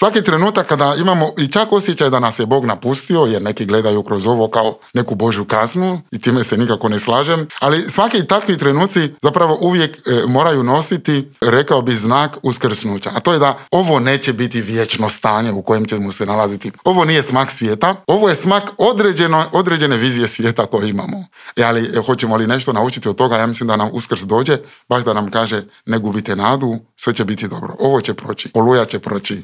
svaki trenutak kada imamo i čak osjećaj da nas je Bog napustio, jer neki gledaju kroz ovo kao neku Božju kaznu i time se nikako ne slažem, ali svaki takvi trenuci zapravo uvijek moraju nositi, rekao bi, znak uskrsnuća. A to je da ovo neće biti vječno stanje u kojem ćemo se nalaziti. Ovo nije smak svijeta, ovo je smak određene vizije svijeta koje imamo. Ali hoćemo li nešto naučiti od toga? Ja mislim da nam Uskrs dođe, baš da nam kaže ne gubite nadu, sve će biti dobro. Ovo će proći, Oluja će proći.